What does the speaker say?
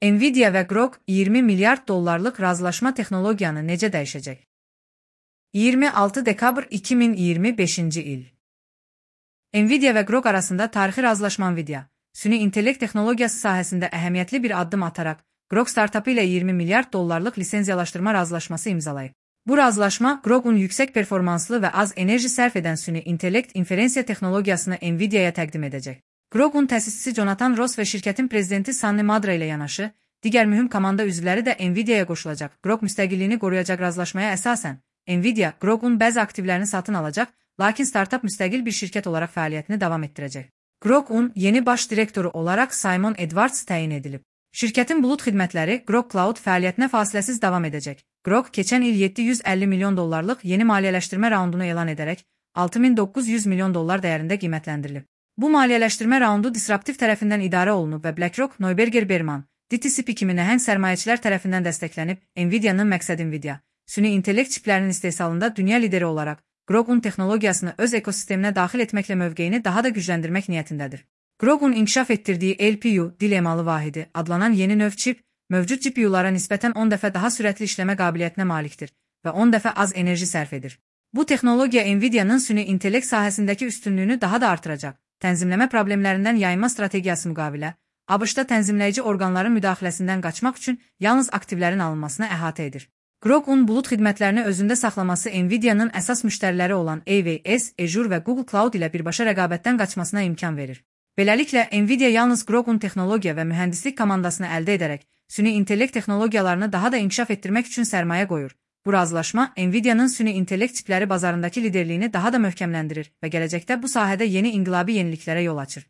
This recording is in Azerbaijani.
Nvidia və Grok 20 milyard dollarlıq razılaşma texnologiyanı necə dəyişəcək? 26 dekabr 2025-ci il. Nvidia və Grok arasında tarixi razılaşma Nvidia, süni intellekt texnologiyası sahəsində əhəmiyyətli bir addım ataraq, Grok startapı ilə 20 milyard dollarlıq lisenziyalaşdırma razılaşması imzalayıb. Bu razılaşma, Grok'un yüksək performanslı və az enerji sərf edən süni intellekt inferensiya texnologiyasını Nvidia'ya təqdim edəcək. Grok'un təsisçisi Jonathan Ross və şirkətin prezidenti Sanny Madra ilə yanaşı, digər mühüm komanda üzvləri də Nvidia'ya qoşulacaq. Grok müstəqilliyini qoruyacaq razılaşmaya əsasən, Nvidia, Grok'un bəzi aktivlərini satın alacaq, lakin startap müstəqil bir şirkət olaraq fəaliyyətini davam etdirəcək. Grok'un yeni baş direktoru olaraq Simon Edwards təyin edilib. Şirkətin bulut xidmətləri Grok Cloud fəaliyyətinə fasiləsiz davam edəcək. Grok, keçən il 750 milyon dollarlıq yeni maliyyələşdirmə raundunu elan edərək, 6900 milyon dollar dəyərində qiymətləndirilib. Bu maliyyələşdirmə raundu disruptiv tərəfindən idarə olunub və BlackRock, Neuberger Berman, DTCP kimi nəhəng sərmayəçilər tərəfindən dəstəklənib. Nvidia'nın məqsədi Nvidia, süni intellekt çiplərinin istehsalında dünya lideri olaraq, Grok'un texnologiyasını öz ekosisteminə daxil etməklə mövqeyini daha da gücləndirmək niyyətindədir. Grok'un inkişaf etdirdiyi LPU, dil emalı vahidi, adlanan yeni növ çip, mövcud GPU'lara nisbətən 10 dəfə daha sürətli işləmə qabiliyyətinə malikdir və 10 dəfə az enerji sərf edir. Bu texnologiya Nvidia'nın süni intellekt sahəsindəki üstünlüyünü daha da artıracaq. Tənzimləmə problemlərindən yayınma strategiyası müqavilə, ABŞ-da tənzimləyici orqanların müdaxiləsindən qaçmaq üçün yalnız aktivlərin alınmasına əhatə edir. Grok'un bulut xidmətlərini özündə saxlaması Nvidia'nın əsas müştəriləri olan AWS, Azure və Google Cloud ilə birbaşa rəqabətdən qaçmasına imkan verir. Beləliklə, Nvidia yalnız Grok'un texnologiya və mühəndislik komandasını əldə edərək, süni intellekt texnologiyalarını daha da inkişaf etdirmək üçün sərmayə qoyur. Bu razılaşma, Nvidia'nın süni intellekt çipləri bazarındakı liderliyini daha da möhkəmləndirir və gələcəkdə bu sahədə yeni inqilabi yeniliklərə yol açır.